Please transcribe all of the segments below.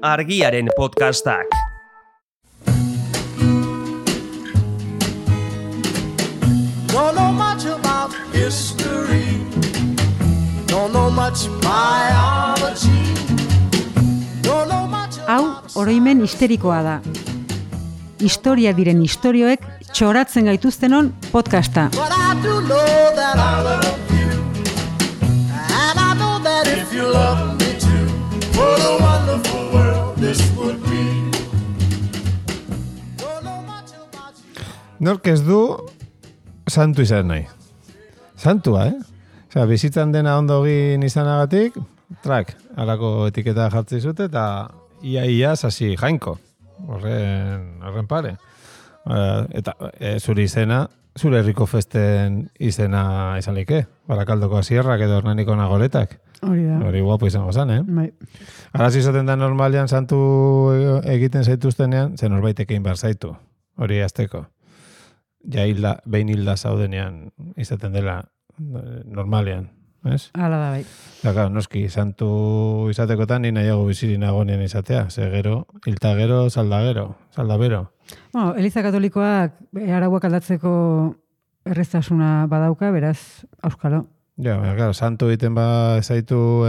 Argiaren podcastak. Don't know much about history. Don't know much biology. Don't know much Hau, oroimen histerikoa da. Historia diren istorioek txoratzen gaituztenon podcasta. But I do know that I love you. And I know that if you love me too, what a wonderful world this would be. Don't know much about you. Nork ez du santu izan nahi. Santua, Osea, bizitzan dena ondo egin izanagatik, halako etiketa jartzi zute, eta ia sasi jainko. Horren pare. Eta zure izena, zure herriko festen izena izanlike. Barakaldoko asierrak edo Hernaniko nagoretak. Hori da. Hori guapo izango zan, Bai. Araz izaten da normalean santu egiten zaituztenean, zen norbaitekein behar zaitu. Hori azteko. Ja behin hilda zaudenean izaten dela normalean, ez? Hala da, bai. Daka, noski, santu izatekotan ni nahiago bizirin agonean izatea. Ze gero, hilta gero, saldabero. Bueno, Eliza Katolikoak arauak aldatzeko erreztasuna badauka, beraz, auskalo. Ja, claro, santu egiten zaitu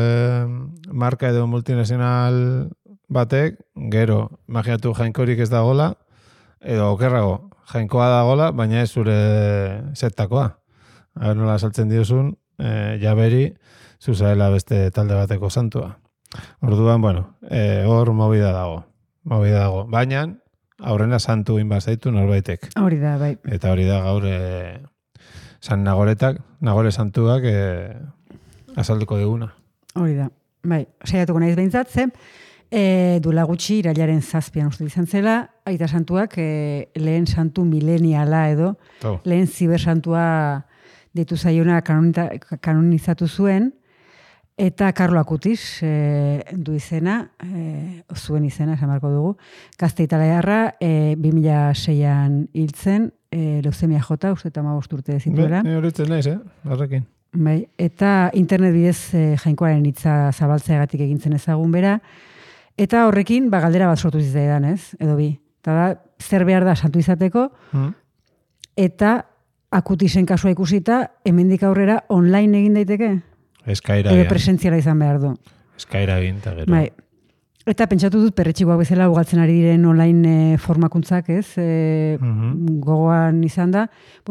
marka edo multinazional batek, gero, imaginatu jainkorik ez dagola, edo okerrago, jainkoa dagola, baina ez zure zetakoa. Aber nola saltzen diozun, jaberi, zuzaela beste talde bateko santua. Orduan, hor movida dago. Baina, aurrena santu inbar zaitu norbaitek. Hori da, bai. Eta hori da gaur San Nagore santuak azalduko diguna. Hori da, bai. Saiatuko naiz behintzat, duela gutxi irailaren 7 uste izan zela, aita santuak lehen santu mileniala edo, lehen zibersantua ditu zaiona kanonizatu zuen, eta Karlo Akutis du izena, zuen izena, esan marko dugu, gazte italiarra 2006an hiltzen, leuzemia jota, uste eta 15 urte zituela. Ni horitzen naiz, horrekin. Bai, eta internet bidez jainkoaren hitza zabaltzeagatik egintzen ezagun bera, eta horrekin galdera bat sortu zitzaidan, ez? Edo bi. Eta da, zer behar da santu izateko, eta Akutisen kasua ikusita, hemendik aurrera online egin daiteke? Eskaira Edo egin. presentziala izan behar du. Eskaira egin, eta gero. Bai. Eta pentsatu dut perretxikoak bezala ugaltzen ari diren online formakuntzak, ez? Gogoan izan da,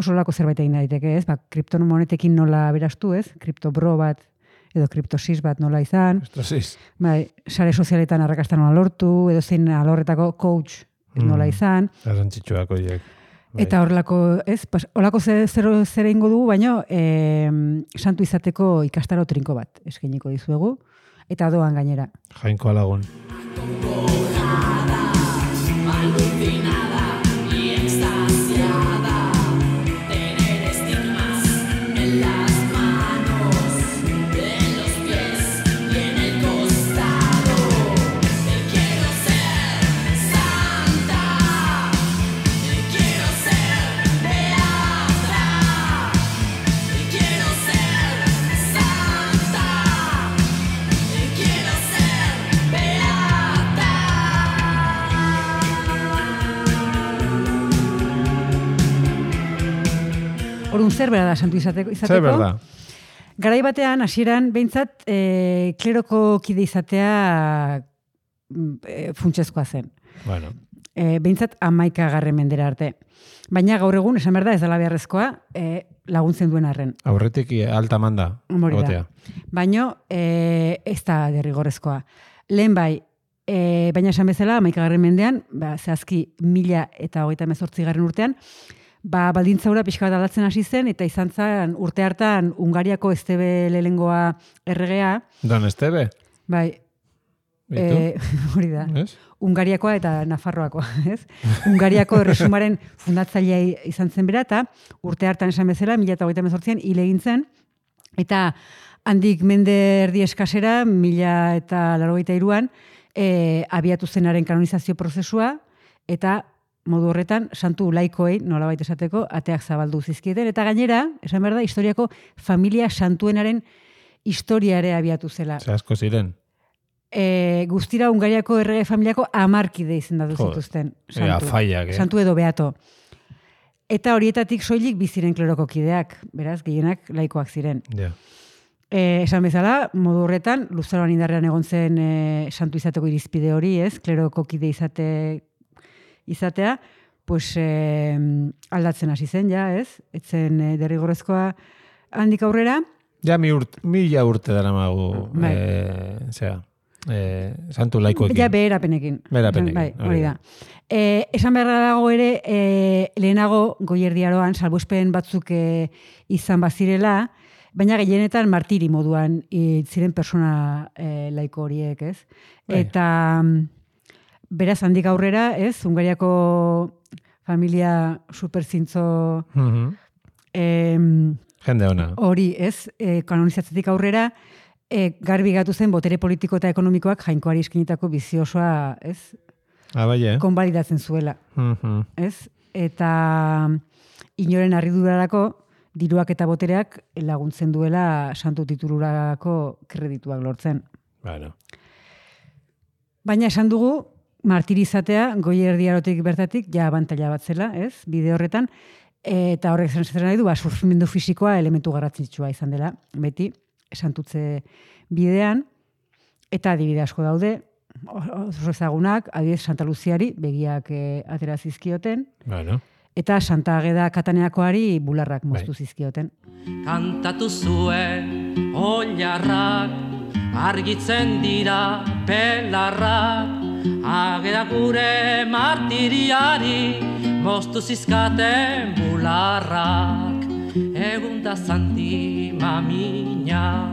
olako zerbait egin daiteke, ez? Kriptomonetekin nola berastu, ez? Kriptobro bat, edo kriptosis bat nola izan. Kriptosis. Bai, sare sozialetan arrakasta nola lortu, edo zein alorretako coach nola izan. Garrantzitsuak horiek. Eta horrelako, ez? Horrelako zer egingo dugu, baina santu izateko ikastaro trinko bat eskainiko dizuegu. Eta doan gainera. Jainko alagun. Orduan zer bera da santu izateko? Zer berda? Garai batean, hasieran behintzat, kleroko kide izatea funtsezkoa zen. Bueno. Behintzat 11. mendera arte. Baina gaur egun, esan behar da, ez dela beharrezkoa, laguntzen duen arren. Aurretik alta manda. Gotea. Baina ez da derrigorrezkoa. Lehen bai, baina esan bezala, 11. mendean, zehazki 1018 urtean, baldintzaura pixka bat aldatzen hasi zen, eta izan zen urte hartan Hungariako Estebe lehengoa erregea. Don Estebe? Bai. Hori da. Es? Hungariakoa eta Nafarroakoa, ez? Hungariako erresumaren fundatzailea izan zen bera, eta urte hartan esan bezala, 1018an hil egin zen, eta handik mende erdi eskasera, 1083an, abiatu zenaren kanonizazio prozesua, eta modu horretan, santu laikoei, nolabait esateko, ateak zabaldu zizkieten, eta gainera, esan behar da, historiako familia santuenaren historia ere abiatu zela. Ze asko ziren. guztira Hungariako errege familiako 10 kide izendatu zituzten. Santu edo beato. Eta horietatik soilik biziren kleroko kideak, beraz, gehienak laikoak ziren. Yeah. Esan bezala, modu horretan, luzaroan indarrean egon zen santu izateko irizpide hori, ez? Kleroko kide izatea, pues aldatzen hasi zen, ja, ez? Etzen derrigorrezkoa handik aurrera. Ja, 1000 urte dara magu, santu laikoekin. Ja, beherapenekin. Bai, hori da. Esan beharra dago ere, lehenago goierdiaroan, salbuespen batzuk izan bazirela, baina gehienetan martiri moduan ziren persona laiko horiek, ez? Eta beraz handik aurrera, ez? Hungariako familia superzintzo jende ona. Hori, ez? Kanonizatzetik aurrera, garbi gatu zen botere politiko eta ekonomikoak jainkoari eskinitako biziosoa, ez? Konbalidatzen zuela, ez? Eta inoren harridurarako diruak eta botereak laguntzen duela santu titulurako kredituak lortzen. Baina esan dugu, martirizatea goierdiarotik bertatik ja abantaila bat zela, ez? Bide horretan, eta horrek zer nahi du, sufrimendu fisikoa elementu garrantzitsua izan dela, beti, santutze bidean, eta adibide asko daude, oso ezagunak, adibidez Santa Luziari begiak atera zizkioten, eta Santa Ageda Kataneakoari bularrak moztu zizkioten. Kantatu zuen oilarrak, argitzen dira belarrak, Ageda gure martiriari, moztu zizkaten bularrak. Egun da zanti mamina,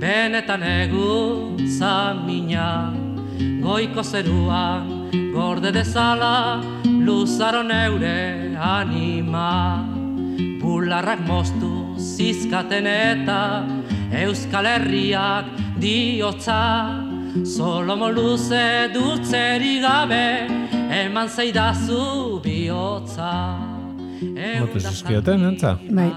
benetan egun zamina, goiko zeruan gorde dezala, luzaro neure anima. Bularrak moztu zizkaten eta Euskal Herriak diotza, Solomo luze dultzeri gabe, eman zeidazu bihotza. Motu zizkioten, entza? Bai.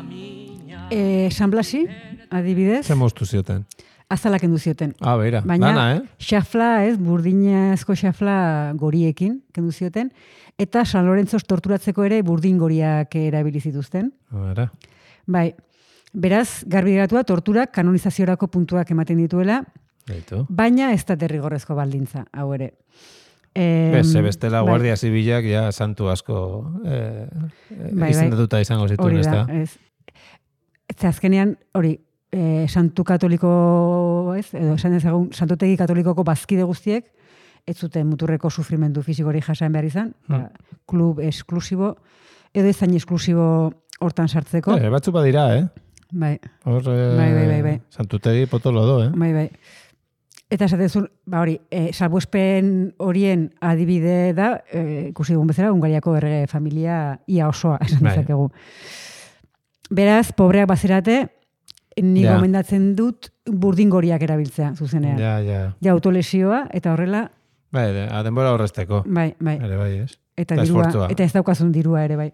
San Blasi, adibidez. Ze moztu zioten? Azalak kendu zioten. Beira, baina, lana, xafla, ez, burdinazko xafla goriekin kendu zioten, eta San Lorenzos torturatzeko ere burdin goriak erabili zituzten. Bai, beraz, garbi geratua torturak kanonizaziorako puntuak ematen dituela, baina ez da derrigorrezko baldintza, hau ere. Bestela guardia zibilak ja santu asko izendatuta izango zituen, ez da? Ez azkenean, hori, santu katoliko, ez, edo esan ezagun, santutegi katolikoko bazkide guztiek, ez zuten muturreko sufrimendu fisikori jasan behar izan, klub esklusibo, edo ezain esklusibo hortan sartzeko. Batzu badira, Bai. Bai. Santutegi potolo do, Bai. Eta esatezun, hori, salbuespen horien adibide da, ikusi dugun bezala, Hungariako errege familia ia osoa, esan dezakegu. Beraz, pobreak bazerate, ni gomendatzen dut burdingoriak erabiltzea, zuzenean. Ja, autolesioa, eta horrela... Bai, denbora horrezteko. Bai. Ere bai, ez? Eta dirua, eta ez daukazun dirua ere, bai.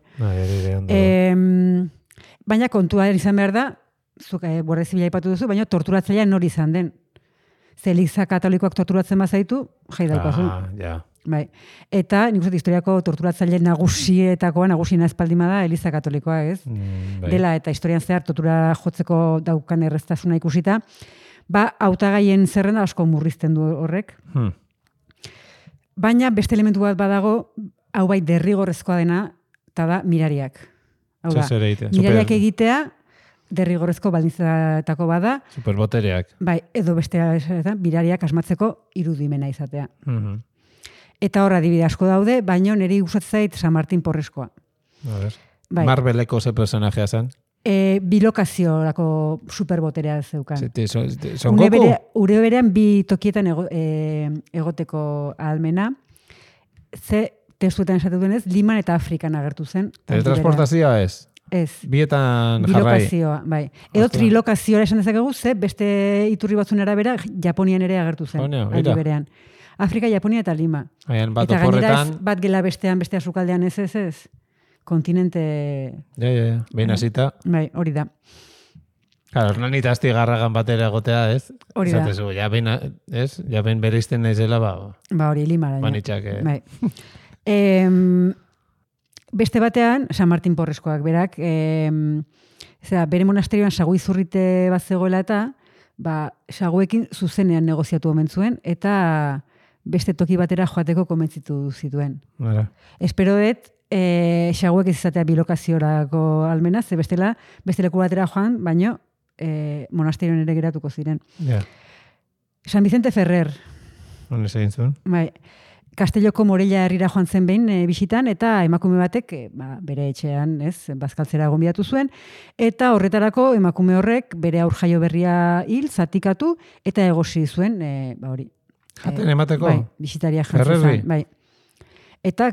Baina kontua izan behar da, zuk guardia zibila ipatu duzu, baina torturatzailea nori izan den. Ze Eliza katolikoak torturatzen bazaitu, jai daukazun. Bai. Eta, nik uste, historiako torturatzaile nagusiena espaldima da Eliza katolikoa, ez? Dela, eta historian zehar tortura jotzeko daukan erreztasuna ikusita, hautagaien zerrenda asko murrizten du horrek. Baina beste elementu bat badago, hau bai derrigorrezkoa dena, eta da mirariak. Hau da, mirariak egitea, derrigorrezko baldintzatako bada. Superbotereak. Bai, edo beste mirariak asmatzeko irudimena izatea. Eta horra adibide asko daude, baina niri gustatzen zait San Martin Porreskoa. Marveleko ze personajea zen? Bilokaziorako superboterea zeukan. Son Goku? Ure berean bi tokietan egoteko ahalmena. Ze testuetan esatu denez, Liman eta Afrikan agertu zen. Teletransportazioa ez? Ez. Bietan jarrai. Bilokazioa, bai. Edo trilokazioa esan dezakegu, ze beste iturri batzun arabera Japonian ere agertu zen. Aldi berean. Afrika, Japonia eta Lima. Eta gainera bat gela bestean, bestea sukaldean ez. Kontinente... Behin hasita. Bai, hori da. Claro, Hernanita astigarragan batera egotea, ez? Hori da. Esatezu, ja ben bereizten naizela, Ba hori, limara. manitxak. Bai. Beste batean, San Martin Porreskoak berak, bere monasterioan sagu izurrite bat zegoela eta, saguekin zuzenean negoziatu omen zuen, eta beste toki batera joateko komentzitu zituen. Bara. Espero dut, saguek ez izatea bilokaziorako almena, ze bestela, beste leku batera joan, baino, monasterioan ere geratuko ziren. Ja. San Vicente Ferrer. Honez egin zuen. Bai, Castelloko Morella herrira joan zen behin bisitan, eta emakume batek bere etxean, bazkaltzera gonbidatu zuen, eta horretarako emakume horrek bere aurjaio berria hil, zatikatu, eta egosi zuen, hori. Jaten emateko? Bai, bisitaria jantzen zen. Bai. Eta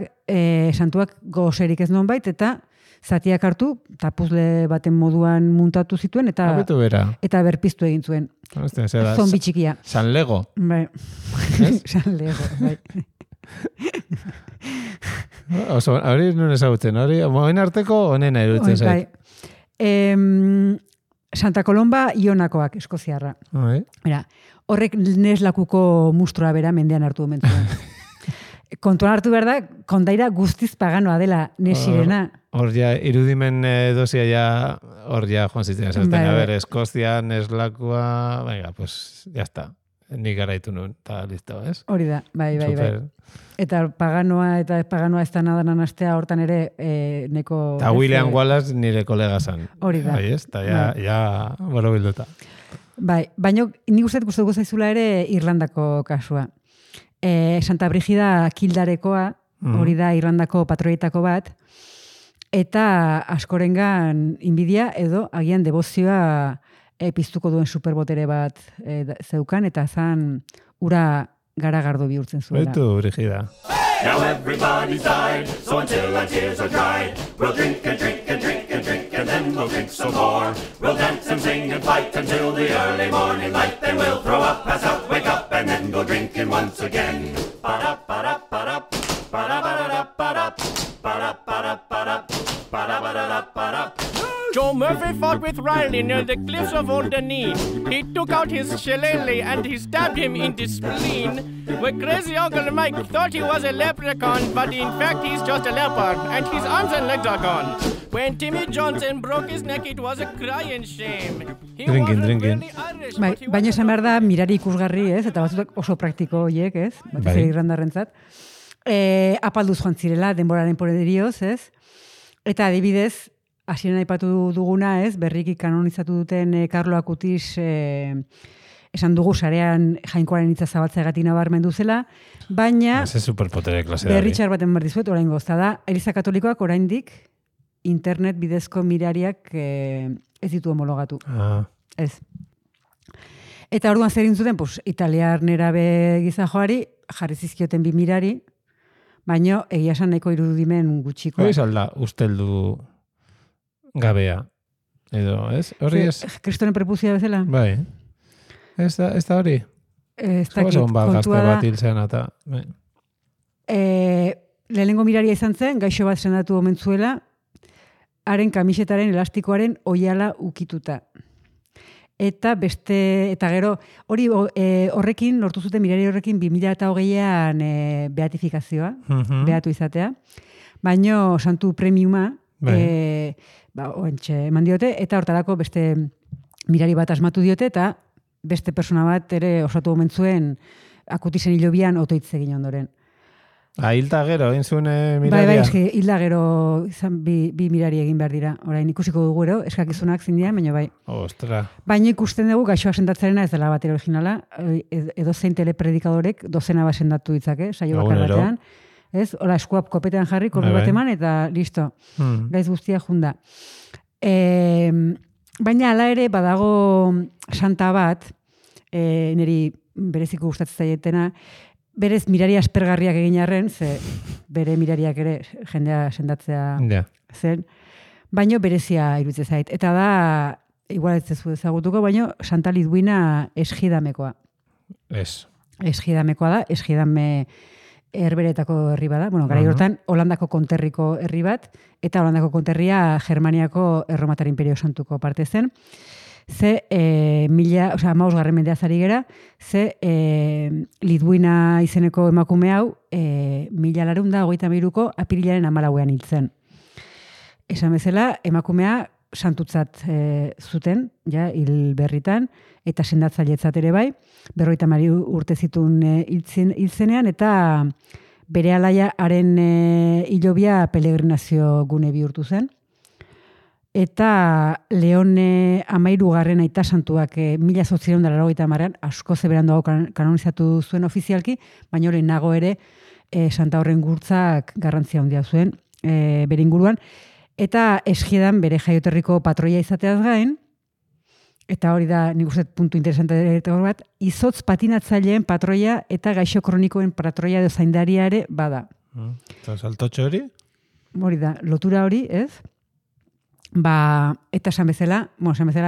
santuak gozerik ez non bait, eta zatiak hartu, eta puzle baten moduan muntatu zituen, eta berpiztu egin zuen. Zombi txikia. San Lego. Bai. San Lego, bai. Hori nun ezagutzen, hori moen arteko onena iruditzen zait. Santa Colomba Ionakoak, Eskoziarra. Horrek neslakuko mustroa bera mendean hartu omentzuen. Kontuan hartu behar da, kondaira guztiz paganoa dela nesirena. Hor ja, irudimen dozia ja, hor ja, joan zitzen, a ver, Eskozia, neslakua, venga, pues, ya está. Nik garaitu nun, eta listo, ez? Hori da, bai. Eta paganoa eta paganoa ez da nadanan astea hortan ere neko... Eta William Wallace nire kolega zan. Hori da. Bai, ez? Eta ja boro bilduta. Bai, baina nik uste gustatuko zaizula ere Irlandako kasua. Santa Brigida Kildarekoa, hori da Irlandako patroietako bat, eta askorengan inbidia edo agian debozioa piztuko duen superbotere bat zeukan, eta zan ura garagardo bihurtzen zuela. Betu, Brigida. Now everybody's died, so until our tears are dried, we'll drink and drink and drink and drink, and then we'll drink some more. We'll dance and sing and fight until the early morning light, then we'll throw up, pass out, wake up, and then go drinking once again. Ba-da-ba-da-ba-da, ba-da-ba-da-da-ba-da, ba-da-ba-da-ba-da, ba-da-ba-da-da-ba-da. Joe Murphy fought with Riley near the cliffs of Old Denis. He took out his shillelagh and he stabbed him in the spleen. Where crazy Uncle Mike thought he was a leprechaun, but in fact he's just a leopard, and his arms and legs are gone. When Timmy Johnson broke his neck, it was a crying shame. Drinking. Baina esan behar da, mirari ikusgarri, ez? Eta batzutak oso praktiko horiek, ez? Batez ere irlandarrentzat. Apalduz joan zirela, denboraren poderioz, ez? Eta adibidez, hasieran aipatu duguna, ez? Berriki kanonizatu duten Karlo Akutis esan dugu sarean jainkoaren hitza zabaltzeagatik nabarmendu zela, baina berritxar baten behar dizuet, oraingo gozta da, Eliza Katolikoak oraindik internet bidezko mirariak ez ditu homologatu. Ez. Eta orduan zer egin zuten, pues, italiar nerabe gizajoari jarri zizkioten bi mirari, baina egia esan nahiko irudimen gutxikoa. Hori salda, usteldu gabea. Edo, ez? Hori ez? Kristoren prepuzia bezala? Bai. Ez da hori? Ez dakit, kontua da. Bat hilzen eta... Lehenengo miraria izan zen, gaixo bat sendatu omentzuela, haren kamisetaren elastikoaren oiala ukituta. Eta gero, hori horrekin, lortu zuten mirari horrekin 2008an beatifikazioa, beatu izatea, baino santu premiuma, eman diote, eta hortarako beste mirari bat asmatu diote, eta beste persona bat ere osatu omentzuen Akutisen hilobian otoitz egin ondoren. Hilda gero, egin zuen miraria? Bai, hilda gero bi mirari egin behar dira. Orain ikusiko dugu ero, eskakizunak zindian, baina bai. Ostra. Baina ikusten dugu gaixoa sendatzarena ez dela bat originala, edo zein telepredikadorek dozena bat sendatu ditzake, saio bakar batean. Ez, hola, eskuap kopetean jarri, korri bat eman, eta listo. Gaiz guztia junda. Baina hala ere badago santa bat, niri bereziko gustatzen zaietena, berez mirari aspergarriak egin arren, ze bere mirariak ere jendea sendatzea zen, baino berezia iruditzen zait. Eta da, igual ez zezu ezagutuko, baino Santa Lidwina Esgidamekoa. Esgidamekoa da, Esgidame herberetako herri bada. Bueno, garai hortan, Holandako konterriko herri bat, eta Holandako konterria Germaniako Erromatar Imperio Santuko parte zen. ze garren mendeaz ari gera, ze Lidwina izeneko emakume hau 1933ko apirilaren 14ean hiltzen. Esan bezala, emakumea santutzat zuten, ja, hil berritan, eta sendatzailetzat ere bai, 52 urte zituen hiltzenean, eta bere alaiaren hilobia pelegrinazio gune bihurtu zen. Eta Leon 13. aita santuak 1880an asko zeberandoago kanonizatu zuen ofizialki, baina lehenago ere Santa Horren gurtzak garrantzia handia zuen bere inguruan. Eta Eskiedan bere jaioterriko patroia izateaz gain, eta hori da, nik uste puntu interesante bat, izotz patinatzaileen patroia eta gaixo kronikoen patroia edo zaindaria ere bada. Eta saltotxo hori? Hori da, lotura hori, ez? Eta esan bezala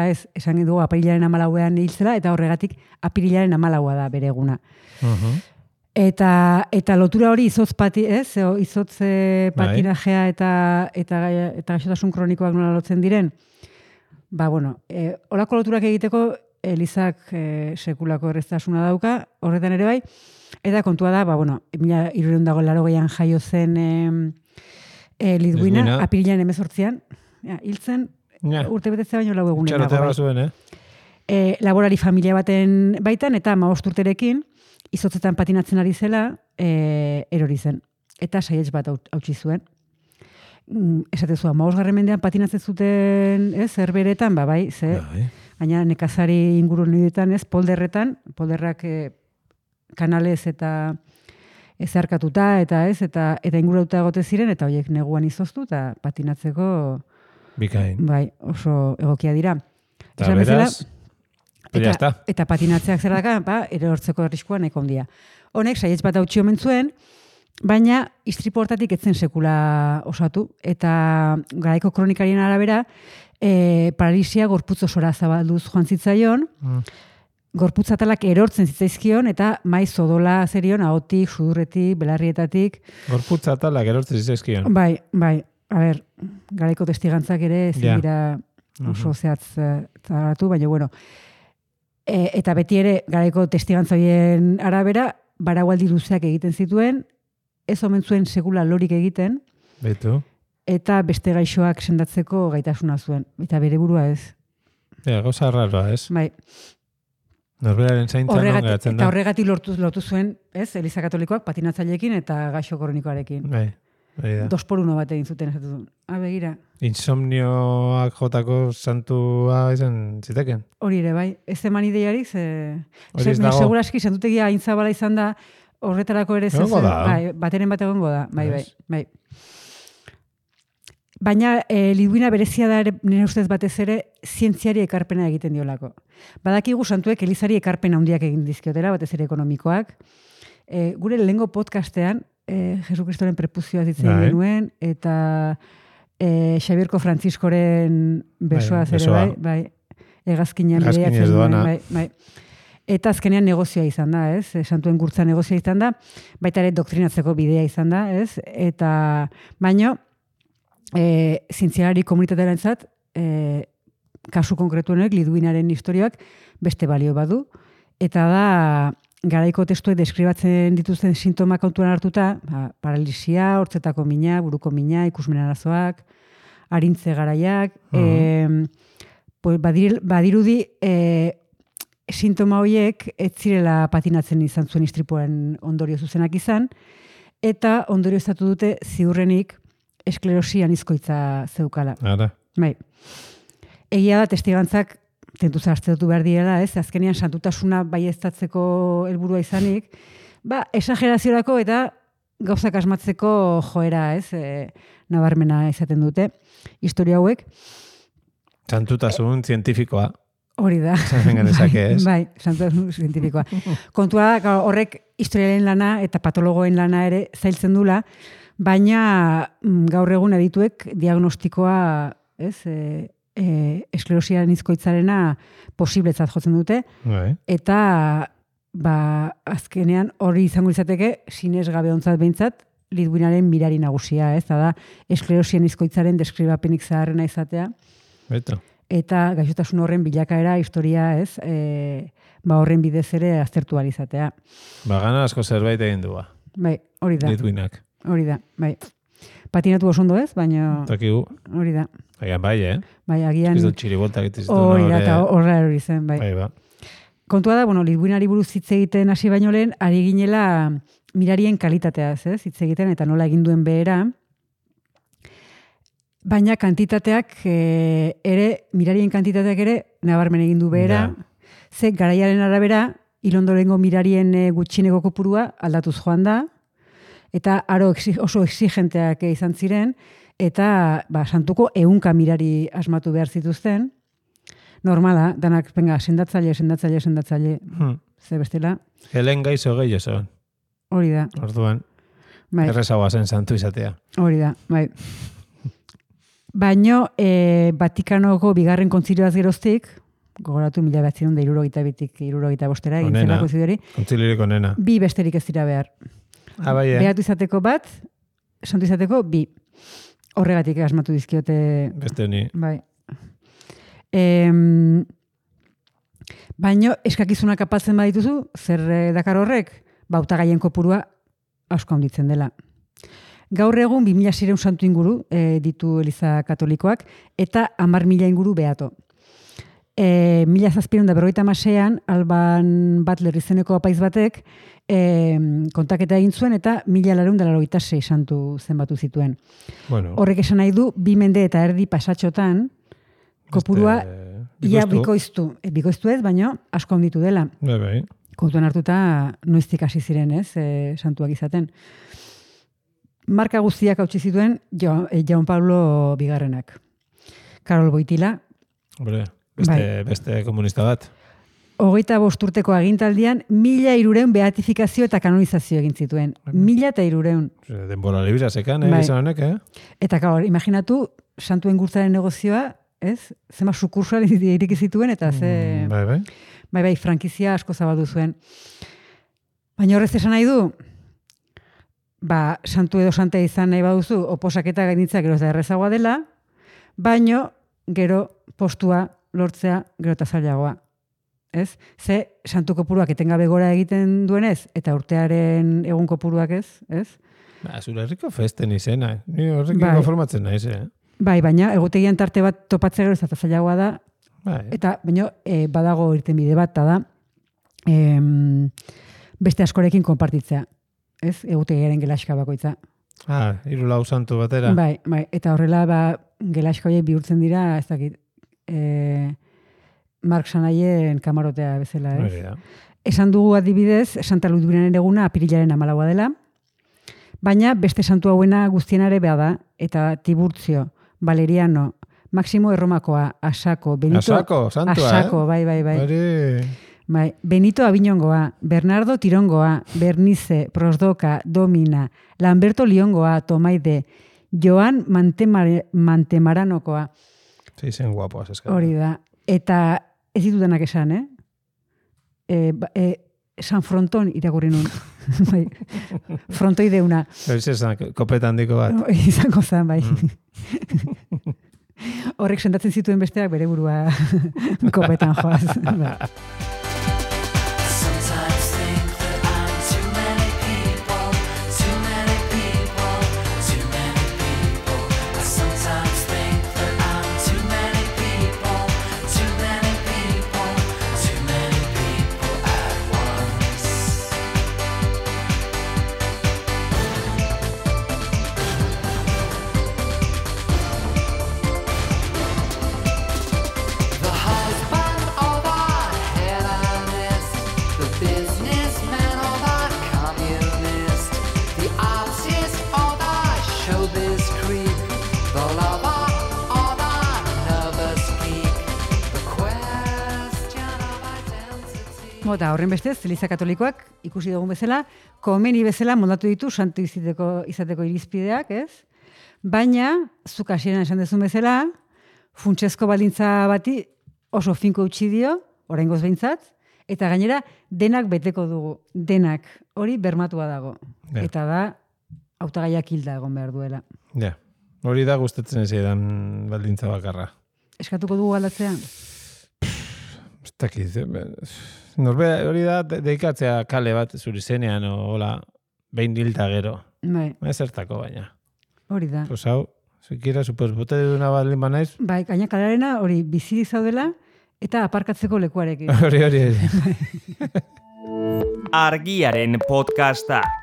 ez, esan dugu apirilaren 14ean hiltzela, eta horregatik apirilaren 14a da bere eguna. Eta lotura hori izotz patinajea eta gaixotasun kronikoak nola lotzen diren, holako loturak egiteko Elizak sekulako erreztasuna dauka, horretan ere bai, eta kontua da, 1380an jaio zen Lidwina, apirilaren 18ean, hiltzen, urte betetzea baino 4 egunen dago. Txarotea zuen, Laborari familia baten baitan, eta 15 urterekin, izotzetan patinatzen ari zela, erori zen. Eta saietz bat hautsi zuen. Esatezua, 15. mendean patinatzen zuten, zerberetan, bai, baina nekazari inguru nioetan, polderrak kanalez eta ezarkatuta, eta ingurauta egote ziren, eta horiek neguan izoztu, eta patinatzeko bikain. Bai, oso egokia dira. Eta beraz, eta patinatzeak zer daka, erortzeko arriskua nahiko handia. Honek, saietz bat hautsi omen zuen, baina istripu hortatik etzen sekula osatu, eta garaiko kronikarien arabera, paralisia gorputz osora zabalduz joan zitzaion, gorputz atalak erortzen zitzaizkion, eta maiz odola zerion, ahotik, sudurretik, belarrietatik. Gorputz atalak erortzen zitzaizkion? Bai, garaiko testigantzak ere ezin dira oso zehatzaratu, baina eta beti ere garaiko testigantzoien arabera, baragualdi luzeak egiten zituen, ez omen zuen sekula lorik egiten, betu, eta beste gaixoak sendatzeko gaitasuna zuen, eta bere burua ez. Gauza raroa, ez? Bai. Norberaren zaintzan non geratzen da. Eta horregatik lortu zuen, ez, Eliza Katolikoak patinatzaileekin eta gaixo kronikoarekin. Bai. 2x1 bat egin zuten, esatu zuen. Begira. Insomnioak jotako santua izan ziteken? Hori ere, bai. Ez eman ideiarik, seguraski santutegia aintzabala izan da, horretarako ere zezen, bateren bat egongo da. Bai. Baina Lidwina berezia da nire ustez batez ere zientziari ekarpena egiten diolako. Badakigu santuek Elizari ekarpena handiak egin dizkiotela, batez ere ekonomikoak. Gure lehengo podcastean, Jesu Kristoren prepuzioa ditzen genuen, eta Xabierko Frantziskoren besoa zere, bai, egazkinean bereiatzen duen, bai. Eta azkenean negozioa izan da, ez? Santuen gurtza negozioa izan da, baita ere doktrinatzeko bidea izan da, ez? Eta baino, zientzialari komunitatearentzat, kasu konkretuenek Lidwinaren historiak beste balio badu, eta da garaiko testuek deskribatzen dituzten sintomak kontuan hartuta, paralisia, hortzetako mina, buruko mina, ikusmen arazoak, arintze garaiak, badirudi sintoma horiek ez zirela patinatzen izan zuen istripuaren ondorio zuzenak izan, eta ondorio estatu dute ziurrenik esklerosi anizkoitza zeukala. Bai. Egia da testigantzak tentuz hartzetu behar direla, ez? Azkenean santutasuna baieztatzeko helburua izanik, esageraziorako eta gauzak asmatzeko joera, ez? Nabarmena izaten dute. Historia hauek. Santutasun zientifikoa. Hori da. Bai, santutasun zientifikoa. Kontua da, horrek historiaren lana eta patologoen lana ere zailtzen dula, baina gaur egun adituek diagnostikoa, ez? Esklerosia anizkoitzarena posibletzat jotzen dute, eta azkenean hori izango izateke sinesgabe ontzat behintzat Lidwinaren mirari nagusia, ez da esklerosia anizkoitzaren deskribapenik zaharrena izatea. eta gaixotasun horren bilakaera historia, ez, horren bidez ere aztertu alizatea. Gana asko zerbait egin du. Bai, hori da. Litwinak. Hori da, bai. Patinatu oso ondo ez, baina... Takigu. Hori da. Agian bai, Bai, agian... Ez dut txiriboltak itizitu. Hori da, eta horra hori zen, bai. Bai, ba. Kontua da, Litwinari buruz hitz egiten hasi baino lehen, ari ginela mirarien kalitateaz, ez? Hitz egiten eta nola egin duen behera. Baina kantitateak mirarien kantitateak ere nabarmen egin du behera. Ze garaiaren arabera, ilondorengo mirarien gutxieneko kopurua aldatuz joan da, eta aro oso exigenteak izan ziren, eta santuko 100 mirari asmatu behar zituzten. Normala, danak, sendatzaile. Ze bestela. Helen gaizo gehiago zegoen. Hori da. Orduan, errezagoa zen santu izatea. Hori da, bai. Baino, Vatikanoko bigarren kontzilioaz geroztik, gogoratu 1972-tik 75-era, egin zelako zidori. Kontziliorik onena. 2 besterik ez dira behar. Bai, Behatu izateko bat, santu izateko 2. Horregatik asmatu dizkiote... Beste honi. Bai. Baino, eskakizunak apaltzen badituzu, zer dakar horrek, hautagaien kopurua asko handitzen dela. Gaur egun 2006 santu inguru ditu Eliza Katolikoak, eta 10.000 inguru beato. 1756an Alban Butler izeneko apaiz batek kontaketa egin zuen eta 1486 santu zenbatu zituen. Horrek esan nahi du, 2 mende eta erdi pasatxotan kopurua ia bikoiztu ez, baino asko handitu dela. Bai. Kontuan hartuta noiztik hasi ziren, ez, santuak izaten. Marka guztiak hautsi zituen Jaun Pablo bigarrenak. Karol Boitila. Beste komunista bat. 25 urteko agintaldian 1.300 beatifikazio eta kanonizazio egin zituen. 1.300. Denbora libra sekan, izan honek, Eta gaur, imaginatu, santuen gurtzaren negozioa, ez? Zema sukursual iriki zituen, eta ze... Bai, frankizia asko zabaldu zuen. Baina horrez esan nahi du, santu edo santea izan nahi baduzu, oposaketa gainitza gero eta errezagoa dela, baino gero postua lortzea gero eta zailagoa. Ez? Ze santu kopuruak etengabe gora egiten duenez, eta urtearen egun kopuruak ez? Zure herriko festen izena. Ni horrekin konformatzen naiz, Bai, baina egutegian tarte bat topatzea gero eta zailagoa da, eta baina badago irten bide bat, da beste askorekin konpartitzea. Ez? Egutegiaren gelaxka bakoitza. 3 santu batera. Bai, eta horrela gelaxka horiek bihurtzen dira, ez dakit, Mark Sanaien kamarotea bezala, ez? Esan dugu adibidez, Santa Ludwinaren eguna apirilaren 14 dela, baina beste santu hauena guztienare beha da, eta Tiburtzio, Valeriano, Maximo Erromakoa, Asako, Benito... Asako, santua, Asako, bai. Benito Aviñongoa, Bernardo Tirongoa, Bernice, Prosdoka, Domina, Lamberto Liongoa, Tomaide, Joan Mantemaranokoa. Zen guapoaz eskara. Hori da. Eta ez ditudanak esan, San Fronton irakurri nun. Frontoideuna. Hori zan, kopeta handiko bat. Izango zan, bai. Horrek sendatzen zituen besteak bere burua kopetan joaz. Eta horren bestez, Eliza Katolikoak ikusi dugun bezala, komeni bezala moldatu ditu santu izateko irizpideak, ez? Baina, zuk hasieran esan dezun bezala, funtsezko baldintza bati oso finko utzi dio, oraingoz behintzat, eta gainera denak beteko dugu, denak, hori bermatua dago. Eta da, hautagaiak hilda egon behar duela. Hori da gustatzen ez edan baldintza bakarra. eskatuko dugu aldatzea? Ez dakit, norbera hori da deikatzea kale bat zuri zenean, hola, behin hilta gero. Bai. Ez zertako baina. Hori da. Pues hau, zekira, superbote duna baldin banaiz. Bai, gaina kalarena hori bizirik zaudela eta aparkatzeko lekuarekin. Hori. Argiaren podcastak.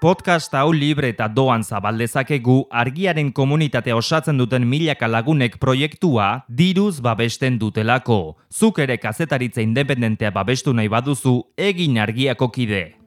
Podcast hau libre eta doan zabaldezakegu Argiaren komunitatea osatzen duten milaka lagunek proiektua diruz babesten dutelako. Zuk ere kazetaritza independentea babestu nahi baduzu, egin Argiako kide.